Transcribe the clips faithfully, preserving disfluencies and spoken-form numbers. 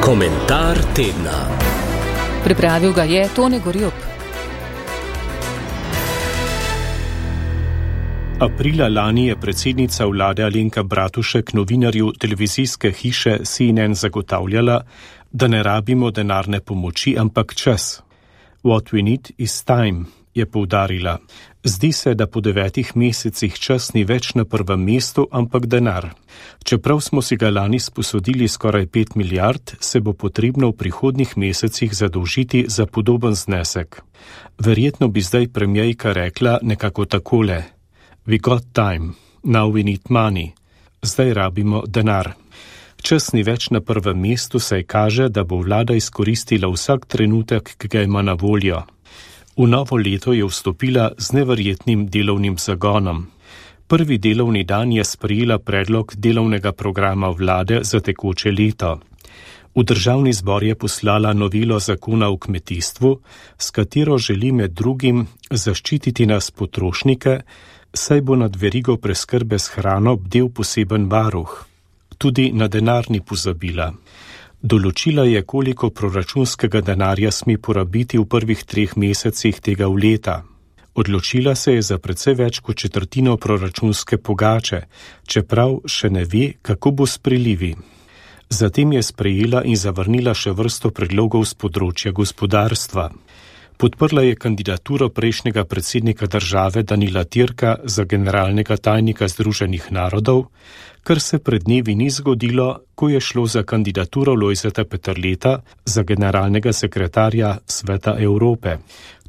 Komentar tedna. Pripravil ga je Tone Gorjup. Aprila lani je predsednica vlade Alenka Bratušek novinarju televizijske hiše C N N zagotavljala, da ne rabimo denarne pomoči, ampak čas. What we need is time, je poudarila. Zdi se, da po devetih mesecih čas ni več na prvem mestu, ampak denar. Čeprav smo si ga lani sposodili skoraj pet milijard, se bo potrebno v prihodnjih mesecih zadolžiti za podoben znesek. Verjetno bi zdaj premierka rekla nekako takole. We got time, now we need money. Zdaj rabimo denar. Čas ni več na prvem mestu, saj kaže, da bo vlada izkoristila vsak trenutek, ki ga ima na voljo. V novo leto je vstopila z neverjetnim delovnim zagonom. Prvi delovni dan je sprejela predlog delovnega programa vlade za tekoče leto. V državni zbor je poslala novelo zakona o kmetijstvu, s katero želi med drugim zaščititi nas potrošnike, saj bo nad verigo preskrbe s hrano bdel poseben varuh. Tudi na denar ni pozabila. Določila je, koliko proračunskega denarja sme porabiti v prvih treh mesecih tega leta. Odločila se je za precej več kot četrtino proračunske pogače, čeprav še ne ve, kako bo s prilivi. Zatem je sprejela in zavrnila še vrsto predlogov z področja gospodarstva. Podprla je kandidaturo prejšnjega predsednika države Danila Türka za generalnega tajnika Združenih narodov, kar se pred dnevi ni zgodilo, ko je šlo za kandidaturo Lojzeta Peterleta za generalnega sekretarja Sveta Evrope.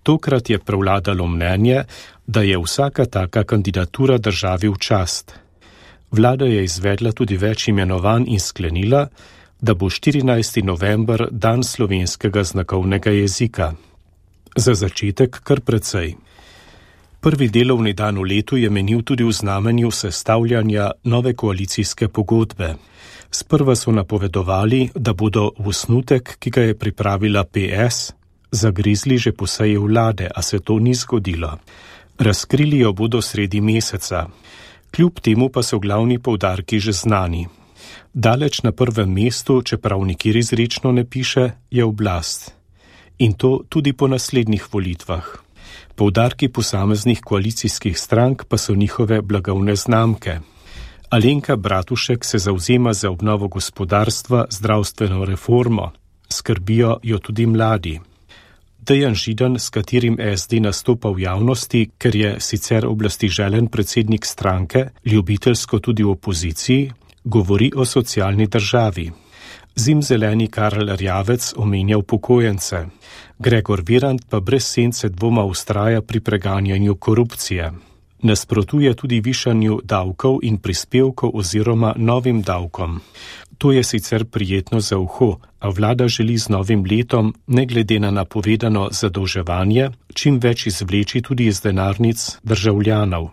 Tokrat je prevladalo mnenje, da je vsaka taka kandidatura državi v čast. Vlada je izvedla tudi več imenovanj in sklenila, da bo štirinajsti november dan slovenskega znakovnega jezika. Za začetek kar precej. Prvi delovni dan v letu je menil tudi v znamenju sestavljanja nove koalicijske pogodbe. Sprva so napovedovali, da bodo v osnutek, ki ga je pripravila P S, zagrizli že po seji vlade, a se to ni zgodilo. Razkrili jo bodo sredi meseca. Kljub temu pa so glavni poudarki že znani. Daleč na prvem mestu, čeprav nikjer izrečno ne piše, je oblast. In to tudi po naslednjih volitvah. Poudarki posameznih koalicijskih strank pa so njihove blagovne znamke. Alenka Bratušek se zavzema za obnovo gospodarstva, zdravstveno reformo. Skrbijo jo tudi mladi. Dejan Židan, s katerim S D nastopa v javnosti, ker je sicer oblasti želen predsednik stranke, ljubiteljsko tudi v opoziciji, govori o socialni državi. Zimzeleni Karl Rjavec omenja upokojence. Gregor Virant pa brez sence dvoma vztraja pri preganjanju korupcije. Nasprotuje tudi višanju davkov in prispevkov oziroma novim davkom. To je sicer prijetno za uho, a vlada želi z novim letom, ne glede na napovedano zadolževanje, čim več izvleči tudi iz denarnic državljanov.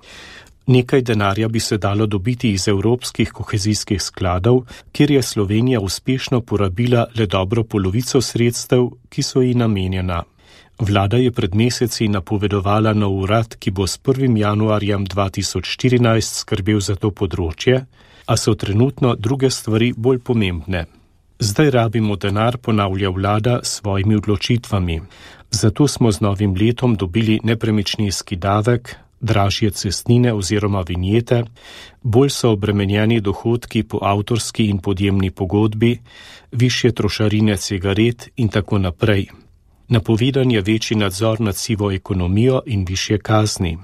Nekaj denarja bi se dalo dobiti iz evropskih kohezijskih skladov, kjer je Slovenija uspešno porabila le dobro polovico sredstev, ki so ji namenjena. Vlada je pred meseci napovedovala nov urad, ki bo s prvim januarjem dva tisoč štirinajst skrbel za to področje, a so trenutno druge stvari bolj pomembne. Zdaj rabimo denar, ponavlja vlada s svojimi odločitvami. Zato smo z novim letom dobili nepremičninski davek, dražje cestnine oziroma vinjete, bolj so obremenjeni dohodki po avtorski in podjemni pogodbi, višje trošarine cigaret in tako naprej. Napovedan je večji nadzor nad sivo ekonomijo in višje kazni.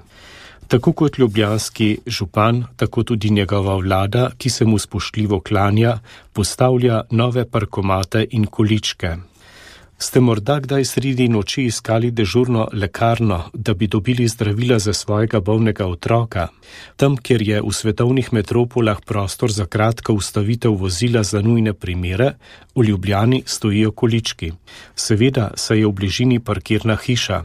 Tako kot ljubljanski župan, tako tudi njegova vlada, ki se mu spoštljivo klanja, postavlja nove parkomate in količke. Ste morda kdaj sredi noči iskali dežurno lekarno, da bi dobili zdravila za svojega bolnega otroka? Tam, kjer je v svetovnih metropolah prostor za kratko ustavitev vozila za nujne primere, v Ljubljani stojijo količki. Seveda se je v bližini parkirna hiša.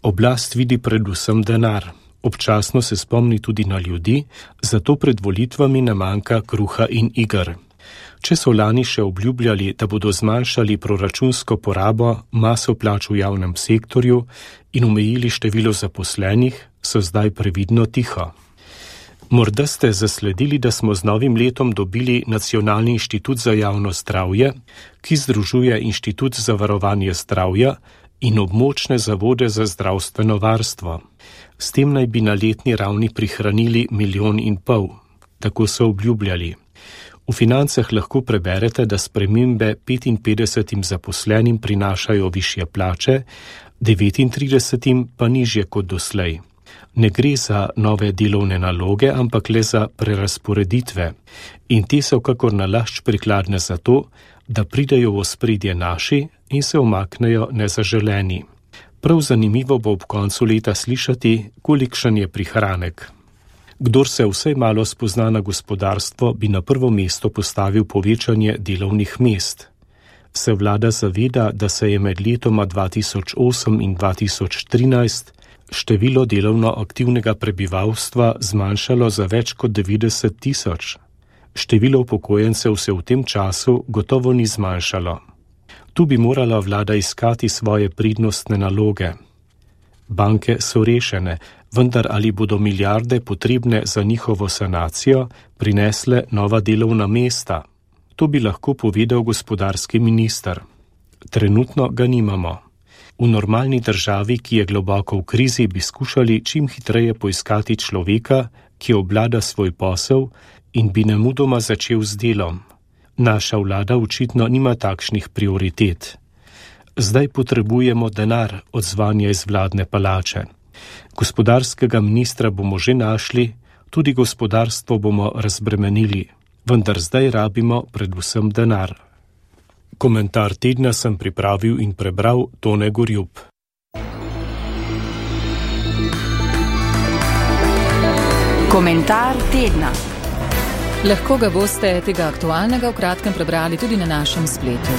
Oblast vidi predvsem denar. Občasno se spomni tudi na ljudi, zato pred volitvami ne manjka kruha in iger. Če so lani še obljubljali, da bodo zmanjšali proračunsko porabo, maso plač v javnem sektorju in omejili število zaposlenih, so zdaj previdno tiho. Morda ste zasledili, da smo z novim letom dobili Nacionalni inštitut za javno zdravje, ki združuje Inštitut za varovanje zdravja in območne zavode za zdravstveno varstvo. S tem naj bi na letni ravni prihranili milijon in pol. Tako so obljubljali. V Financah lahko preberete, da spremembe petinpetdesetim zaposlenim prinašajo višje plače, devetintridesetim pa nižje kot doslej. Ne gre za nove delovne naloge, ampak le za prerasporeditve. In te so kakor nalašč prikladne za to, da pridejo v ospredje naši in se umaknejo nezaželeni. Prav zanimivo bo ob koncu leta slišati, kolikšen je prihranek. Kdor se vsaj malo spozna na gospodarstvo, bi na prvo mesto postavil povečanje delovnih mest. Se vlada zaveda, da se je med letoma dva tisoč osem in dva tisoč trinajst število delovno aktivnega prebivalstva zmanjšalo za več kot devetdeset tisoč. Število upokojencev se v tem času gotovo ni zmanjšalo. Tu bi morala vlada iskati svoje prednostne naloge. Banke so rešene, vendar ali bodo milijarde potrebne za njihovo sanacijo prinesle nova delovna mesta? To bi lahko povedal gospodarski minister. Trenutno ga nimamo. V normalni državi, ki je globoko v krizi, bi skušali čim hitreje poiskati človeka, ki obvlada svoj posel in bi nemudoma začel z delom. Naša vlada očitno nima takšnih prioritet. Zdaj potrebujemo denar, odzvanja iz vladne palače. Gospodarskega ministra bomo že našli, tudi gospodarstvo bomo razbremenili, vendar zdaj rabimo predvsem denar. Komentar tedna sem pripravil in prebral Tone Gorjup. Komentar tedna. Lahko ga boste tega aktualnega v kratkem prebrali tudi na našem spletu.